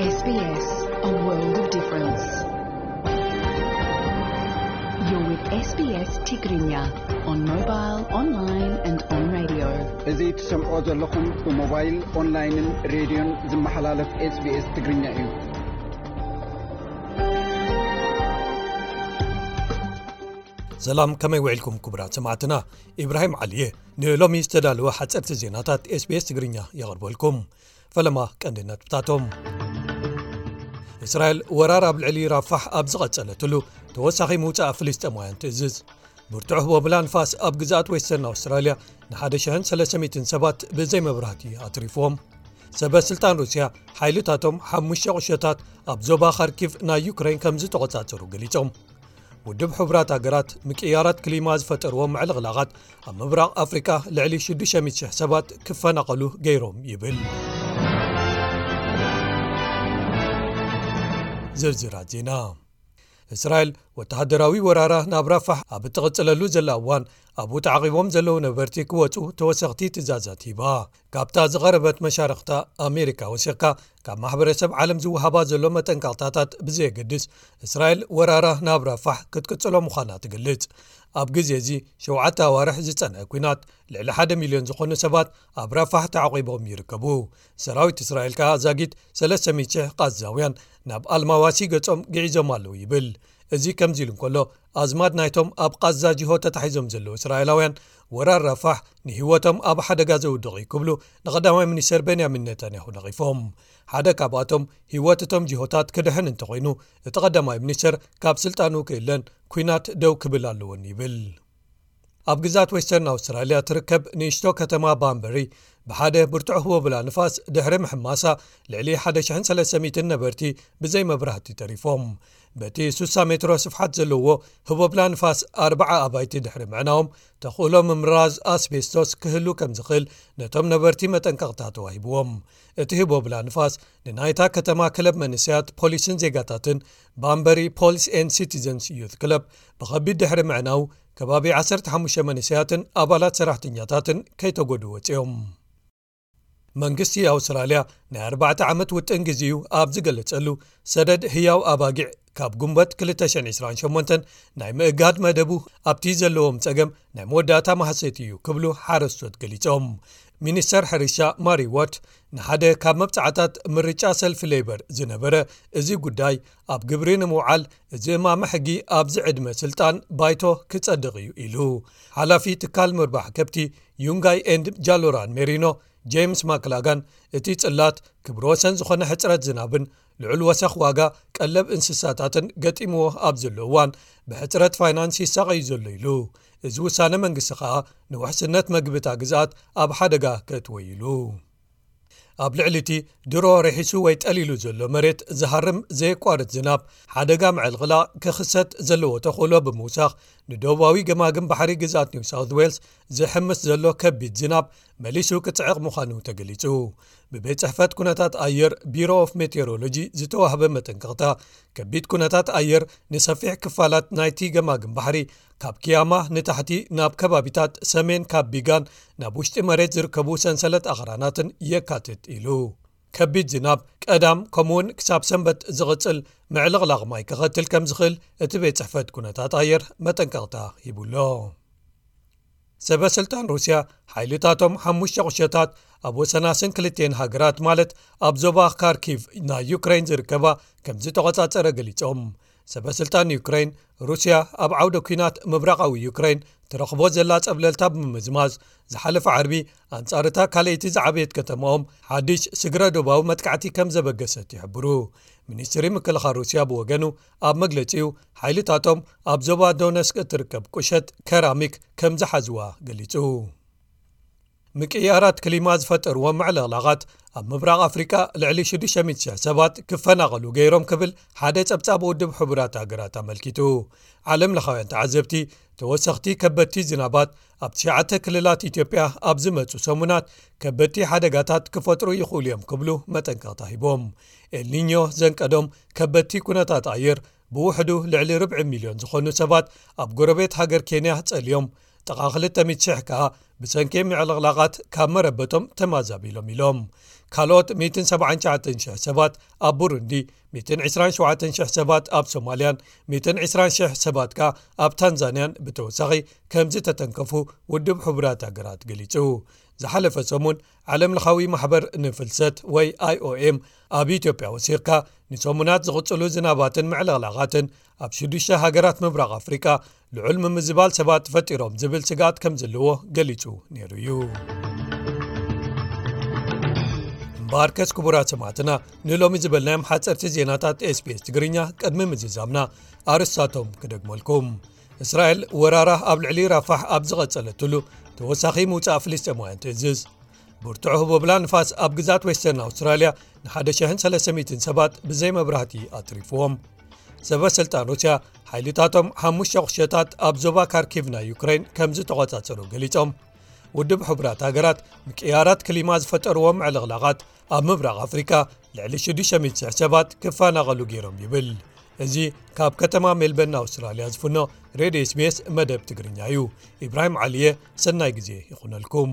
S B S, a world of difference. You're with S B S Tigrinya on mobile, online and on radio. እዚ ትሰምዖ ዘለኹም ብሞባይል፣ ኦንላይንን ሬድዮን ዝመሓላለፍ SBS ትግርኛ እዩ። ሰላም፣ ከመይ ውዒልኩም ክቡራት ሰማዕትና? ኢብራሂም ዓሊ እየ። ንሎሚ ዝተዳለወ ሓጸርቲ ዜናታት SBS ትግርኛ የቕርበልኩም። ፈለማ ቀንዲ ነጥብታቶም። እስራኤል ወራር ኣብ ልዕሊ ራፋሕ ኣብ ዝቐጸለትሉ ተወሳኺ ምውጻእ ፍልስጤማውያን ትእዝዝ። ብርቱዕ ህቦብላ ንፋስ ኣብ ግዝኣት ዌስተርን ኣውስትራልያ ንሓደ ሽሕን ሰለስተ ሚእትን ሰባት ብዘይ መብራህቲ ኣትሪፍዎም። ሰበ ስልጣን ሩስያ ሓይልታቶም ሓሙሽተ ቁሸታት ኣብ ዞባ ካርኪቭ ናይ ዩክሬን ከም ዝተቖጻጸሩ ገሊጾም። ውድብ ሕቡራት ሃገራት ምቅያራት ክሊማ ዝፈጠርዎ ምዕልቕላቓት ኣብ ምብራቕ ኣፍሪቃ ልዕሊ ሽዱሽተ ሚእቲ ሽሕ ሰባት ክፈናቐሉ ገይሮም ይብል። ዝርዝራት ዜና። እስራኤል ወተሃደራዊ ወራራ ናብ ራፋሕ ኣብ እትቕጽለሉ ዘላ እዋን፣ ኣብኡ ተዓቒቦም ዘለዉ ነበርቲ ክወጹ ተወሰኽቲ ትእዛዛት ሂባ። ካብታ ዝቐረበት መሻርኽታ ኣሜሪካ ወሲኽካ፣ ካብ ማሕበረሰብ ዓለም ዝወሃባ ዘሎ መጠንቀቕታታት ብዘየገድስ፣ እስራኤል ወራራ ናብ ራፋሕ ክትቅጽሎ ምዃና ትገልጽ። ኣብ ግዜ እዚ ሸውዓተ ኣዋርሕ ዝጸንሐ ኲናት፣ ልዕሊ ሓደ ሚልዮን ዝኾኑ ሰባት ኣብ ራፋሕ ተዓቒቦም ይርከቡ። ሰራዊት እስራኤል ከኣ ዛጊት ሰለስተ ሚእቲ ሺሕ ቃዛውያን ናብ ኣልማዋሲ ገጾም ግዒዞም ኣለዉ ይብል። እዚ ከምዚ ኢሉ እንከሎ፣ ኣዝማድ ናይቶም ኣብ ቃዛ ጅሆ ተታሒዞም ዘለዉ እስራኤላውያን፣ ወራር ራፋሕ ንህይወቶም ኣብ ሓደጋ ዘውድቕ እዩ ክብሉ ንቐዳማይ ሚኒስተር ቤንያሚን ኔታንያሁ ነቒፎም። ሓደ ካብኣቶም፣ ህይወት እቶም ጅሆታት ክድሕን እንተኾይኑ፣ እቲ ቀዳማይ ሚኒስተር ካብ ስልጣኑ ክእለን፣ ኲናት ደው ክብል ኣለዎን ይብል። ኣብ ግዛት ዌስተርን ኣውስትራልያ ትርከብ ንእሽቶ ከተማ ባምበሪ፣ ብሓደ ብርቱዕ ህቦብላ ንፋስ ድሕሪ ምሕማሳ፣ ልዕሊ ሓደ ሽሕን ሰለስተ ሚእትን ነበርቲ ብዘይ መብራህቲ ተሪፎም። በቲ ሱሳ ሜትሮ ስፍሓት ዘለዎ ህቦብላ ንፋስ፣ ኣርባዓ ኣባይቲ ድሕሪ ምዕናዎም፣ ተኽእሎ ምምራዝ ኣስቤስቶስ ክህሉ ከም ዝኽእል ነቶም ነበርቲ መጠንቀቕታ ተዋሂብዎም። እቲ ህቦብላ ንፋስ ንናይታ ከተማ ክለብ መንእሰያት ፖሊስን ዜጋታትን፣ ባምበሪ ፖሊስ ኤን ሲቲዘንስ ዩት ክለብ፣ ብኸቢድ ድሕሪ ምዕናው፣ ከባቢ ዓሰርተ ሓሙሽተ መንእሰያትን ኣባላት ሰራሕተኛታትን ከይተጎድኡ ወጺኦም። መንግስቲ ኣውስትራልያ ናይ ኣርባዕተ ዓመት ውጥን ግዜኡ ኣብ ዝገለጸሉ፣ ሰደድ ህያው ኣባጊዕ ካብ ጉንበት ክልተ ሽሕን ዕስራን ሸሞንተን ናይ ምእጋድ መደቡ ኣብቲ ዘለዎም ጸገም ናይ መወዳእታ ማህሰይቲ እዩ ክብሉ ሓረስቶት ገሊጾም። ሚኒስተር ሕርሻ ማሪ ዋት ንሓደ ካብ መብጻዕታት ምርጫ ሰልፊ ሌበር ዝነበረ እዚ ጉዳይ ኣብ ግብሪ ንምውዓል፣ እዚ እማመ ሕጊ ኣብዚ ዕድመ ስልጣን ባይቶ ክጸድቕ እዩ ኢሉ። ሓላፊ ትካል ምርባሕ ከብቲ ዩንጋይ ኤንድ ጃሎራን ሜሪኖ፣ ጄምስ ማክላጋን፣ እቲ ጽላት ክብረ ወሰን ዝኾነ ሕጽረት ዝናብን ልዑል ወሰኽ ዋጋ ቀለብ እንስሳታትን ገጢምዎ ኣብ ዘሎ እዋን፣ ብሕጽረት ፋይናንስ ይሳቐዩ ዘሎ ኢሉ። እዚ ውሳነ መንግስቲ ከኣ ንውሕስነት መግቢ እታ ግዝኣት ኣብ ሓደጋ ከእትዎ ኢሉ። ኣብ ልዕሊ እቲ ድሮ ርሒሱ ወይ ጠሊሉ ዘሎ መሬት ዝሃርም ዘየቋርጽ ዝናብ፣ ሓደጋ ምዕልቕላቕ ክኽሰት ዘለዎ ተኽእሎ ብምውሳኽ፣ ንደቡባዊ ገማግም ባሕሪ ግዝኣት ኒው ሳውት ዌልስ ዝሕምስ ዘሎ ከቢድ ዝናብ መሊሱ ክጽዕቕ ምዃኑ ተገሊጹ። ብቤት ጽሕፈት ኩነታት ኣየር፣ ቢሮ ኦፍ ሜቴሮሎጂ፣ ዝተዋህበ መጠንቀቕታ፣ ከቢድ ኩነታት ኣየር ንሰፊሕ ክፋላት ናይቲ ገማግም ባሕሪ፣ ካብ ኪያማ ንታሕቲ ናብ ከባቢታት ሰሜን፣ ካብ ቢጋን ናብ ውሽጢ መሬት ዝርከቡ ሰንሰለት ኣኽራናትን የካትት ኢሉ። ከቢድ ዝናብ ቀዳም፣ ከምኡውን ክሳብ ሰንበት ዝቕጽል ምዕልቕላቕ ማይ ከኸትል ከም ዝኽእል እቲ ቤት ጽሕፈት ኩነታት ኣየር መጠንቀቕታ ሂቡሎ። ሰበ ስልጣን ሩስያ፣ ሓይልታቶም ሓሙሽተ ቁሸታት ኣብ ወሰናስን ክልቲኤን ሃገራት፣ ማለት ኣብ ዞባ ካርኪቭ ናይ ዩክሬን ዝርከባ፣ ከም ዝተቖጻጸረ ገሊጾም። ሰበ ስልጣን ዩክሬን፣ ሩስያ ኣብ ዓውደ ኲናት ምብራቓዊ ዩክሬን ትረኽቦ ዘላ ጸብለልታ ብምምዝማዝ፣ ዝሓለፈ ዓርቢ ኣንጻር እታ ካልኣይቲ ዝዓበየት ከተማኦም ሓድሽ ስግረ ዶባዊ መጥቃዕቲ ከም ዘበገሰት ይሕብሩ። ሚኒስትሪ ምክልኻል ሩስያ ብወገኑ፣ ኣብ መግለጺኡ፣ ሓይልታቶም ኣብ ዞባ ዶነስክ እትርከብ ቁሸት ከራሚክ ከም ዝሓዝዋ ገሊጹ። ምቅያራት ክሊማ ዝፈጠርዎ ምዕልቕላቓት፣ ኣብ ምብራቕ ኣፍሪቃ ልዕሊ ሽዱሽተ ሚእቲ ሽሕ ሰባት ክፈናቐሉ ገይሮም ክብል ሓደ ጸብጻብ ውድብ ሕቡራት ሃገራት ኣመልኪቱ። ዓለም ለኻውያን ተዓዘብቲ፣ ተወሰኽቲ ከበድቲ ዝናባት ኣብ ትሽዓተ ክልላት ኢትዮጵያ ኣብ ዝመጹ ሰሙናት ከበድቲ ሓደጋታት ክፈጥሩ ይኽእሉ እዮም ክብሉ መጠንቀቕታ ሂቦም። ኤልኒኞ ዘንቀዶም ከበድቲ ኩነታት ኣየር፣ ብውሕዱ ልዕሊ ርብዒ ሚልዮን ዝኾኑ ሰባት ኣብ ጎረቤት ሃገር ኬንያ ጸልዮም፣ ጥቓ ክልተ ሚእቲ ሽሕ ከኣ ብሰንኪ ምዕልቕላቓት ካብ መረበቶም ተማዛቢሎም ኢሎም። ካልኦት ሚእትን ሰብዓን ትሽዓተን ሽሕ ሰባት ኣብ ቡሩንዲ፣ ሚእትን ዕስራን ሸውዓተን ሽሕ ሰባት ኣብ ሶማልያን ሚእትን ዕስራን ሽሕ ሰባት ከኣ ኣብ ታንዛንያን ብተወሳኺ ከም ዝተተንከፉ ውድብ ሕቡራት ሃገራት ገሊጹ። ዝሓለፈ ሰሙን ዓለምለኻዊ ማሕበር ንፍልሰት ወይ ኣይኦኤም ኣብ ኢትዮጵያ ወሲኽካ ንሰሙናት ዝቕጽሉ ዝናባትን ምዕልቕላቓትን ኣብ ሽዱሽተ ሃገራት ምብራቕ ኣፍሪቃ ልዑል ምምዝባል ሰባት ፈጢሮም ዝብል ስግኣት ከም ዘለዎ ገሊጹ ነይሩ እዩ። እምበኣርከስ ክቡራት ሰማዕትና ንሎሚ ዝበልናዮም ሓጸርቲ ዜናታት ኤስቢኤስ ትግርኛ ቅድሚ ምዝዛምና ኣርስታቶም ክደግመልኩም። እስራኤል ወራራ ኣብ ልዕሊ ራፋሕ ኣብ ዝቐጸለትሉ ተወሳኺ ምውጻእ ፍልስጤማውያን ትእዝዝ። ብርቱዕ ህቦብላ ንፋስ ኣብ ግዛት ዌስተርን ኣውስትራልያ ንሓደ ሽሕን ሰለስተ ሚእትን ሰባት ብዘይ መብራህቲ ኣትሪፍዎም። ሰበ ስልጣን ሩስያ ሓይልታቶም ሓሙሽተ ቁሸታት ኣብ ዞባ ካርኪቭ ናይ ዩክሬን ከም ዝተቖጻጸሩ ገሊጾም። ውድብ ሕቡራት ሃገራት ምቅያራት ክሊማ ዝፈጠርዎም ምዕልቕላቓት ኣብ ምብራቕ ኣፍሪካ ልዕሊ ሽዱሽተ ሚእቲ ሽሕ ሰባት ክፈናቐሉ ገይሮም ይብል። እዚ ካብ ከተማ ሜልበርን ኣውስትራልያ ዝፍኖ ሬድዮ ኤስቢኤስ መደብ ትግርኛ እዩ። ኢብራሂም ዓሊየ፣ ሰናይ ግዜ ይኹነልኩም።